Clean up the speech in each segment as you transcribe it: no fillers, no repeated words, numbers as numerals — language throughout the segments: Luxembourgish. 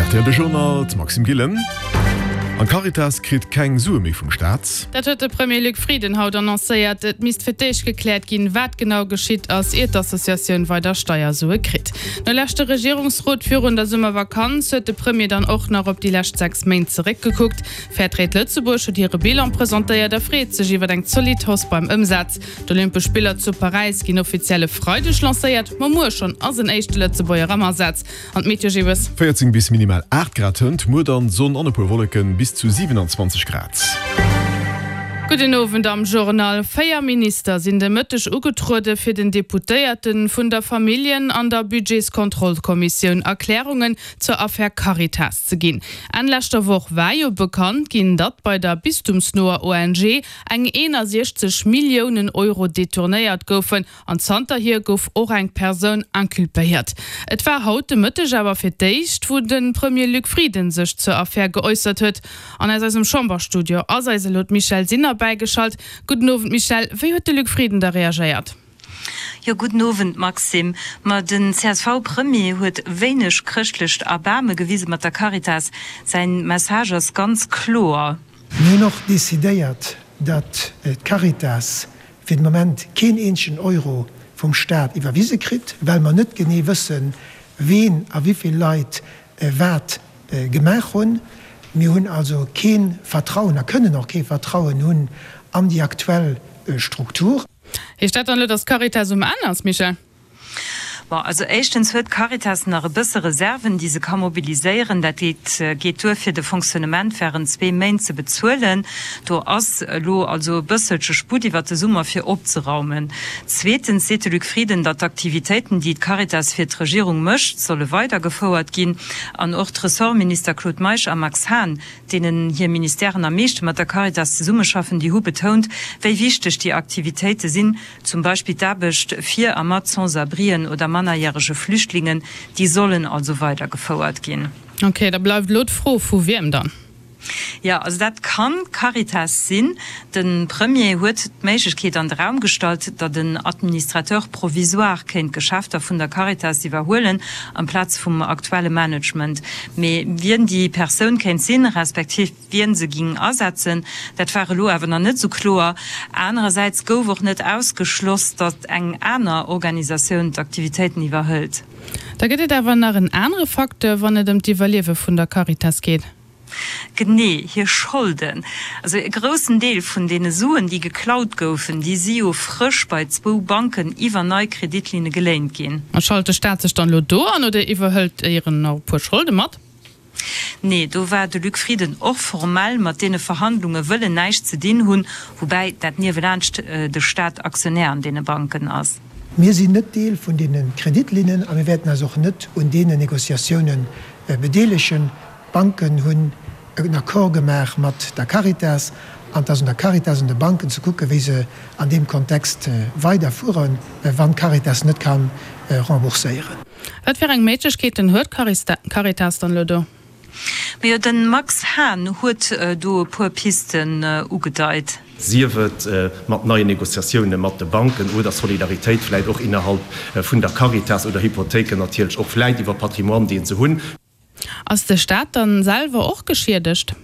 Rtl De Journal, d'Maxime Gillen. An d'Caritas kritt keng Sue méi vum Staat. Dat huet de Premier Luc Frieden haut annoncéiert. Et misst fir d'éischt gekläert ginn, wat genau geschitt ass, ier d'Associatioun weider Steiersue kritt. No leschte Regierungsrot virun der Summervakanz huet de Premier dann och nach op déi lescht 6 Méint zeréckgekuckt. Fairtrade Lëtzebuerg huet hire Bilan presentéiert a freet sech iwwer eng zolidd Hausse beim Ëmsaz. D'Olympesch Spiller zu Paräis ginn offiziell e Freideg lancéiert, ma muer schonn ass en éischte Lëtzebuerger am Asaz. An d'Meteo Gibbes. 14 bis minimal 8 Grad hënt, muer dann Sonn an e puer Wolleken, bis zu 27 Grad. Gudden Owend am Journal. 4 Minister sinn de Mëtteg ugetruede fir den Deputéierte vun der Familljen an der Budgetskontrollkommissioun Erklärungen zur Affär Caritas ze ginn. Enn leschter Woch war jo bekannt ginn, datt bei der bistumsnoer ONG eng 61 Milliounen Euro detournéiert goufen. An zanterhier gouf och eng Persoun inculpéiert. Et war haut de Mëtteg awer fir d'éischt, wou de Premier Luc Frieden sech zur Affär geäussert huet. An aus eisem Chamberstudio ass eis elo d'Michèle Sinner bäigeschalt. Gudden Owend Michèle, wéi huet de Luc Frieden da reagéiert? Jo, gudden Owend Maxime. Ma den CSV-Premier huet wéineg chrëschtlecht Erbaarme gewise mat der Caritas. Säin Message ass ganz kloer. Mir hunn och decidéiert, datt d'Caritas fir de Moment keen eenzegen Euro vum Staat iwwerwise kritt, well mer net genee wëssen, ween a wéivill Leit wat gemaach hunn. Mir hunn also kee Vertrauen a kënnen och kee Vertrauen hunn an déi aktuell Struktur. Heescht dat dann elo, datt d'Caritas um Enn ass, Michèle? Bon, also éischtens huet d'Caritas nach e bësse Reserven, déi se ka mobiliséieren. Dat geet geet duer, fir de Fonctionnement während zwee Méint ze bezuelen. Do ass elo also e bësselche Sputt iwwert de Summer fir opzeraumen. Zweetens seet de Luc Frieden, datt d'Aktivitéiten, déi d'Caritas fir d'Regierung mécht, solle weidergefouert ginn. An och d'Ressortminister Claude Meisch a Max Hahn, deenen hir Ministèren am meeschte mat der Caritas zesummeschaffen, déi hu betount, wéi wichteg déi Aktivitéite sinn, Zum Beispill d'Aarbecht fir a mat Sans-abrien oder mannerjärege Flüchtlingen, déi sollen also weidergefouert ginn. Ok, da bleift elo d'Fro, vu wiem dann? Jo, also dat kann d'Caritas sinn. De Premier huet d'Méiglechkeet an de Raum gestallt, datt en Administrateur provisoire kéint d'Geschäfter vun der Caritas iwwerhuelen, amplaz vum aktuelle Management. Mee wien déi Persoun kéint sinn, respektiv Wien se ging asetzen, dat war elo awer nach net esou kloer. Anerersäits gouf och net ausgeschloss, datt eng aner Organisatioun d'Aktivitéiten iwwerhëlt. Da gëtt et awer nach en anere Facteur, wann et ëm d'Iwwerliewe vun der Caritas geet. Genee, hir Scholden. Also e groussen Deel vun deene Suen, déi geklaut goufen, déi si jo frësch bei zwou Banken iwwer nei Kreditlinne geléint ginn. A schalt de Staat sech dann elo do an oder iwwerhëlt éieren nach e puer Scholde mat? Nee, do war de Luc Frieden och formell, mat deene Verhandlunge wëll en näischt ze dinn hunn, woubäi dat niewelaanscht de Staat Aktionär an deene Banken ass. Mir sinn net Deel vun deene Kreditlinnen a mir wäerten eis och net un deenen Négociatioune bedeelegen. D'Banken hunn en Accord gemaach mat der Caritas an et ass un der Caritas, un de Banken ze kucken, wéi se an deem Kontext weiderfueren, wann d'Caritas net ka rembourséieren. Wat fir eng Méiglechkeeten huet d'Caritas dann elo do? Majo, de Max Hahn huet do e puer Pisten ugedeit. Sief et mat neien Négociatioune mat de Banken oder Solidaritéit vläit och innerhalb vun der Caritas oder Hypothéiken natierlech och vläit iwwer Patrimoine, dee se hunn. Ass de Staat dann selwer och geschiedegt?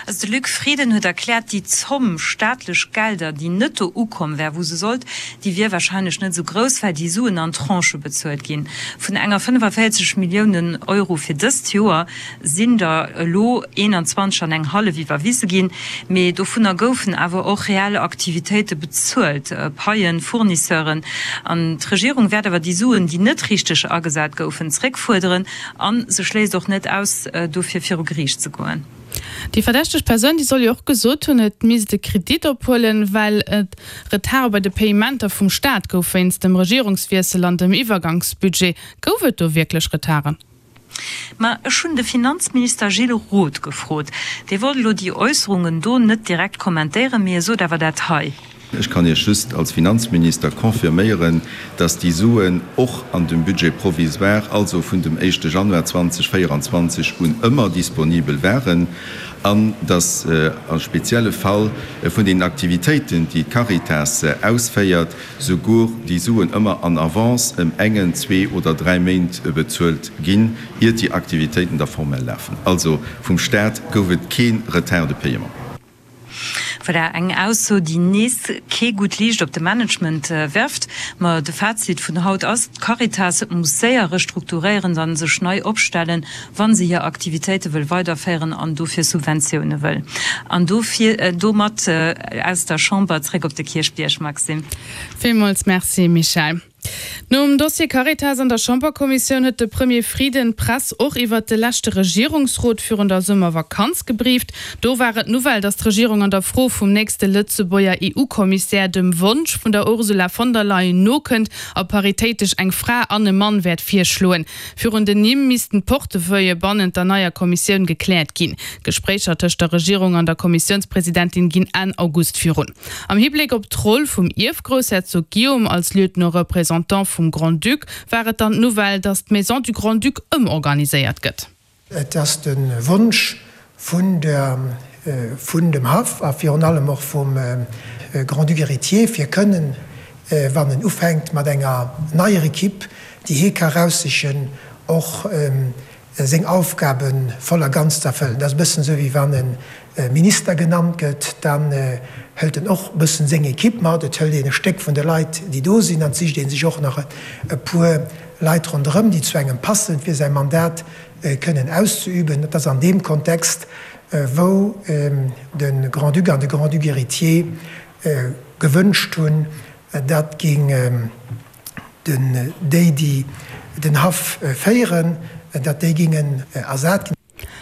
Also de Luc Frieden huet erkläert, déi Zomm staatlech Gelder, déi net do ukomm wär, wou se sollt, déi wier warscheinlech net esou grouss, well déi Suen an Tranchë bezuelt ginn. Vun enger 45 Milliounen Euro fir dëst Joer sinn der elo 21 an eng hallef iwwerwise ginn. Mee dovunner goufen awer och reell Aktivitéite bezuelt, Paien, Fournisseuren. An d'Regierung wäert awer déi Suen, déi net richteg agesat goufen, zréckfuerderen. A se schléisst och net aus, dofir viru Geriicht ze goen. Déi verdächteg Persoun, déi soll jo och gesot hunn, et misst e Kredit ophuelen, well et Retarde bei de Payementer vum Staat gouf wéinst dem Regierungswiessel an dem Iwwergangsbudget. Gouf et do wierklech Retarden? Ma ech hunn de Finanzminister Gilles Roth gefrot. Dee wollt elo déi Äusserungen do net direkt kommentéieren, mee e sot awer dat hei. Ech kann Iech just als Finanzminister confirméieren, dass déi Suen och an dem Budget provisoire, also vun dem éischte Januar 2024 un, ëmmer disponibel waren. An datt a spezielle Fall vun den Aktivitéiten, déi d'Caritas ausféiert, souguer déi Suen ëmmer en avance ëm engen, zwee oder dräi Méint bezuelt ginn, iert déi Aktivitéiten da formell lafen. Also vum Staat gouf et kee Retard de paiement. Voilà, eng Ausso, déi nees kee gutt Liicht op de Management werft. Ma de Fazit vun haut ass, D'Caritas muss séier restrukturéieren an sech nei opstellen, wa se hir Aktivitéite wëll weiderféieren an dofir Subventioune wëll. An dofir domat aus der Chamber zréck op de Kierchbierg, Maxime. Villmools Merci, Michèle. Nom Dossier Caritas an der Chamberkommissioun huet de Premier Frieden d'Press och iwwert de leschte Regierungsrot virun der Summervakanz gebrieft. Do war et d'Nouvelle, datt d'Regierung an der Fro vum nächste Lëtzebuerger EU-Kommissär dem Wonsch vun der Ursula von der Leyen nokënnt a paritéitesch eng Fra an e Mann wäert virschloen. Virun den Nimm missten d'Portefeuillë bannent der neier Kommissioun gekläert ginn. D'Gespréicher tëscht der Regierung an der Kommissiounspresidentin ginn Enn August virun. Am Hibléck op d'Roll vum Ierfgroussherzog Guillaume als Lieutenant-représentant vum Grand-Duc war et dann d'Nouvelle, datt d'Maison du Grand-Duc ëmorganiséiert gëtt. Et ass de Wonsch vun der, vun dem Haff a virun allem och vum Grand-Duc héritier, fir kënnen, wann en ufänkt mat enger neier Equipe, déi hie ka eraussichen, och seng Aufgabe voll a ganz ze erfëllen. Dat ass e bëssen esou, wéi wann e Minister genannt gëtt, dann hëlt en och e bëssen seng Equipe mat. Et hëlt een e Stéck vun de Leit, déi do sinn, an et sicht ee sech och nach e puer Leit ronderëm, déi zu engem passen, fir säi Mandat kënnen auszeüben. Et ass an deem Kontext, wou de Grand-Duc an de Grand-Duc héritier gewënscht hunn, datt géing déi, déi den Haff féieren, datt déi géingen ersat ginn.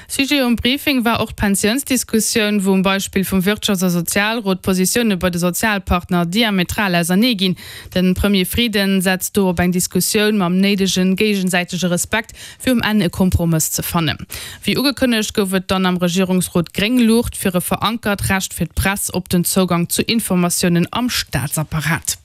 Sujet um Briefing war och d'Pensiounsdiskussioun, wou um Beispill vum Wirtschafts a Sozialrot d'Positioune bei de Sozialpartner diametral ausernee ginn. De Premier Frieden setzt do op eng Diskussioun mam néidege géigesäitege Respekt, fir um Enn e Kompromëss ze fannen. Wéi ugekënnegt gouf et dann am Regierungsrot gréng Luucht fir e verankert Recht fir d'Press op den Zougang zu Informatiounen am Staatsapparat.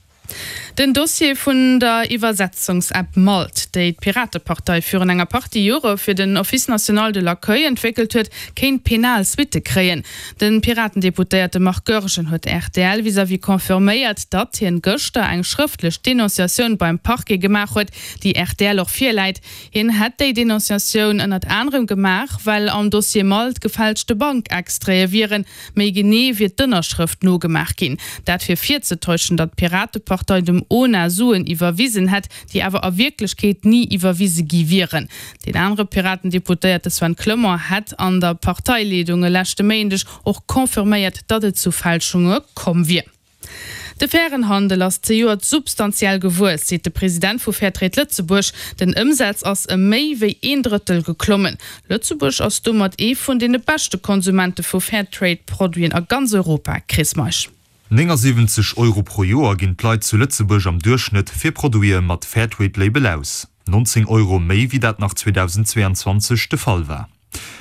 Den Dossier vun der Iwwersetzungsapp Malt, déi d'Piratepartei virun enger Partie Jore fir den Office national de l'accueil entwéckelt huet, kéint penal Suitte kréien. De Piratendeputéierte Marc Goergen huet rtl vis-à-vis confirméiert, datt hien gëschter eng schrëftlech Denonciatioun beim Parquet gemaach huet, déi rtl och virläit. Hien hätt déi Denonciatioun ënnert anerem gemaach, well am Dossier Malt gefälschte Bankextraite wieren. Méi genee wier d'Ënnerschrëft nogemaach ginn. Dat fir virzetäuschen, datt d'Piratepartei dem ona Suen iwwerwisen hätt, déi awer a Wierklechkeet ni iwwerwise gi wieren. Deen anere Piraten-Deputéierte Sven Clement hätt an der Parteileedung e leschte Méindeg och confirméiert, datt et zu Fälschunge komm wier. De fairen Handel ass zejoert substantiell gewuess, seet de President vu Fairtrade Lëtzebuerg. Den Ëmsaz ass ëm méi wéi een Drëttel geklommen. Lëtzebuerg ass domat ee vun deene beschte Konsumente vu Fairtrade-Produiten a ganz Europa. Chris Meisch. 79 Euro pro Joer ginn d'Leit zu Lëtzebuerg am Duerchschnëtt fir Produite mat Fairtrade-Label aus, 19 Euro méi wéi dat nach 2022 de Fall war.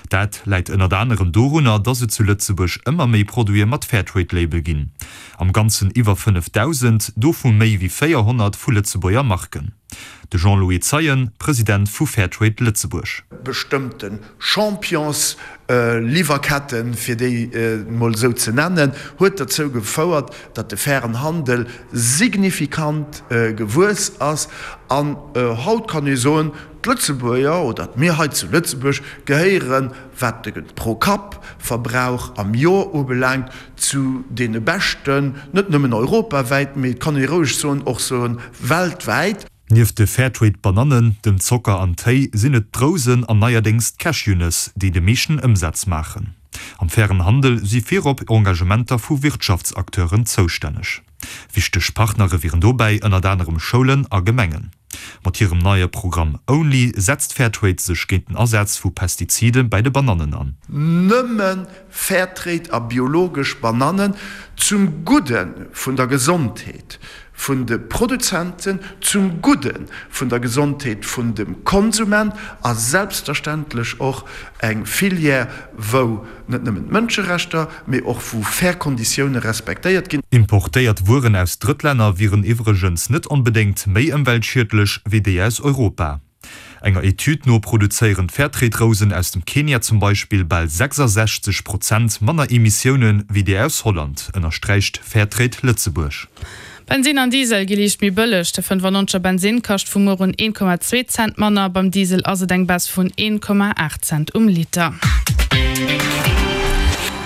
Dat läit ënnert anerem dorunner, dass et zu Lëtzebuerg ëmmer méi Produite mat Fairtrade-Label ginn. Am Ganzen iwwer 5.000, dovu méi wéi 400 vu Lëtzebuerger Marken. De Jean-Louis Zeien, President vu Fairtrade Lëtzebuerg. Bestëmmte Champions-Liwwerketten, fir déi emol esou ze nennen, huet derzou gefouert, datt de fairen Handel signifikant gewuess ass. An haut kann ee soen, D'Lëtzebuerger, oder mir hei zu Lëtzebuerg, gehéieren, wat de Pro-Kapp-Verbrauch am Joer ubelaangt, zu deene beschten, net nëmmen europawäit, mee et kann ee roueg soen, och soen, weltwäit. Nieft de Fairtrade-Banannen, dem Zocker an Téi sinn et d'Rousen an neierdéngs d'Cashewnëss, déi de meeschten Ëmsaz maachen. Am fairen Handel si virop Engagementer vu Wirtschaftsacteuren zoustänneg. Wichteg Partnere wieren dobäi ënnert anerem Schoulen a Gemengen. Mat hirem neie Programm Only setzt Fairtrade sech géint den Asaz vu Pestizide bäi de Banannen an. Nëmme Fairtrade a biologesch Banannen, zum Gudde vun der Gesondheet vun de Produzenten, zum Gudde vun der Gesondheet vun dem Konsument a selbstverständlech och eng Filière, wou net nëmmen d'Mënscherechter, mee och wou fair Konditioune respektéiert ginn. Importéiert Wueren aus Drëttlänner wieren iwwregens net onbedéngt méi ëmweltschiedlech wéi déi aus Europa. Enger Etüd no produzéieren d'Fairtrade-Rousen aus dem Kenia zum Beispill bal 66 Prozent manner Emissioune wéi déi aus Holland, ënnersträicht Fairtrade Lëtzebuerg. Bensinn an Diesel gi liicht méi bëlleg. De 95er Bensinn kascht vu muer un 1,2 Cent manner, beim Diesel ass et eng Baisse vun 1,8 Cent um Liter.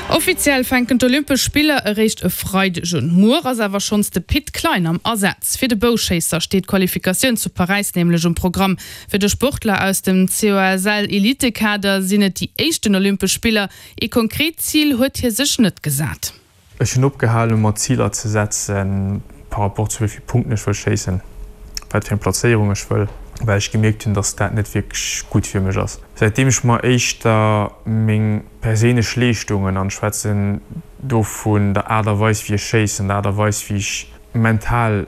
Offiziell fänken d'Olympesch Spiller eréischt e Freideg un. Muer ass awer schonns de Pit Klein am Asaz. Fir de Bouschéisser steet d'Qualifikatioun zu Paräis nämlech um Programm. Fir de Sportler aus dem COSL-Elitekader sinn et déi éischten Olympesch Spiller. Ee konkret Zil huet hie sech net gesat. Ech hunn opgehalen, mer Ziler ze setzen par rapport zu wéi vill Punkten ech wëll schéissen, wat fir eng Plazéierung ech wëll, well ech gemierkt hunn, dass dat net wierklech gutt fir mech ass. Säitdeem ech mer éischter meng perséinlech Leeschtungen, an ech schwätzen do vun der Aart a Weis wéi ech schéissen, der Aart a Weis wéi ech mental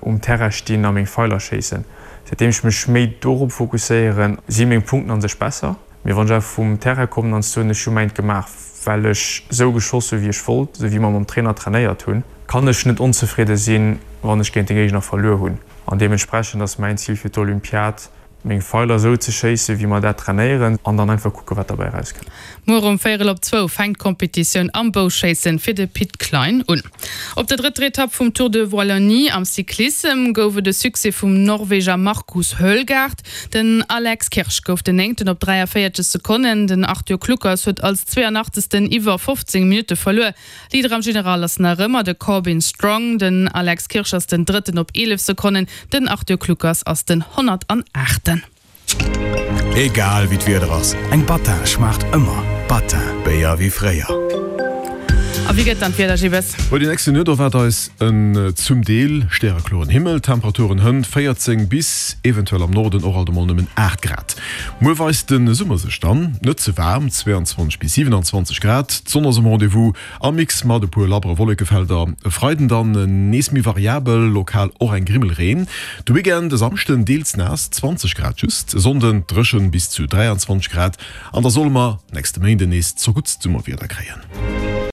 um Terrain stinn a meng Feiler schéissen, säitdeem ech mech méi dorop fokusséieren, si meng Punkten a sech besser. Mee wann ech awer vum Terrain kommen an soen, ech hu mäint gemaach, well ech esou geschoss hu wéi ech wollt, esou wéi mer mam Trainer trainéiert hunn, kann ech net onzefridde sinn, wann ech géint de Géigner verluer hunn. An deementsprechend ass mäin Zil fir d'Olympiad, meng Feiler esou ze schéissen, wéi mer dat trainéieren, an dann einfach kucken, wat derbäi erauskënnt. Muer um véierel op zwou fänkt d'Competitioun am Bouschéissen fir de Pit Klein un. Op der drëtter Etapp vum Tour de Wallonie am Cyclissem gouf et e Succès vum Norweger Markus Hoelgaard. Den Alex Kirsch gouf den Néngten op 43 Sekonnen. Den Arthur Kluckers huet als 82. Iwwer 15 Minutte verluer. Leader am General ass nach ëmmer de Corbin Strong. Den Alex Kirsch ass den Drëtten op 11 Sekonnen. Den Arthur Kluckers ass den 108. Egal wéi d'Wieder ass, eng Battin schmaacht ëmmer. Battin, Béier wéi fréier. A wéi gëtt dann d'Wieder, Gibbes? Bei den nächsten Nuet erwaart eis en zum Deel stärekloren Himmel, Temperaturen hënt 14 bis eventuell am Norden och alt emol nëmmen 8 Grad. Muer weist de Summer sech dann net ze waarm, 22 bis 27 Grad, d'Sonn ass um Rendez-vous am Mix mat e puer labbere Wollekefelder. E Freiden dann nees méi variabel, lokal och eng Grimmel Reen. De Weekend, e Samschden deels naass, 20 Grad just, e Sonnden dréchen bis zu 23 Grad an da solle mer nächste Méinden nees zerguttst Summerwieder kréien.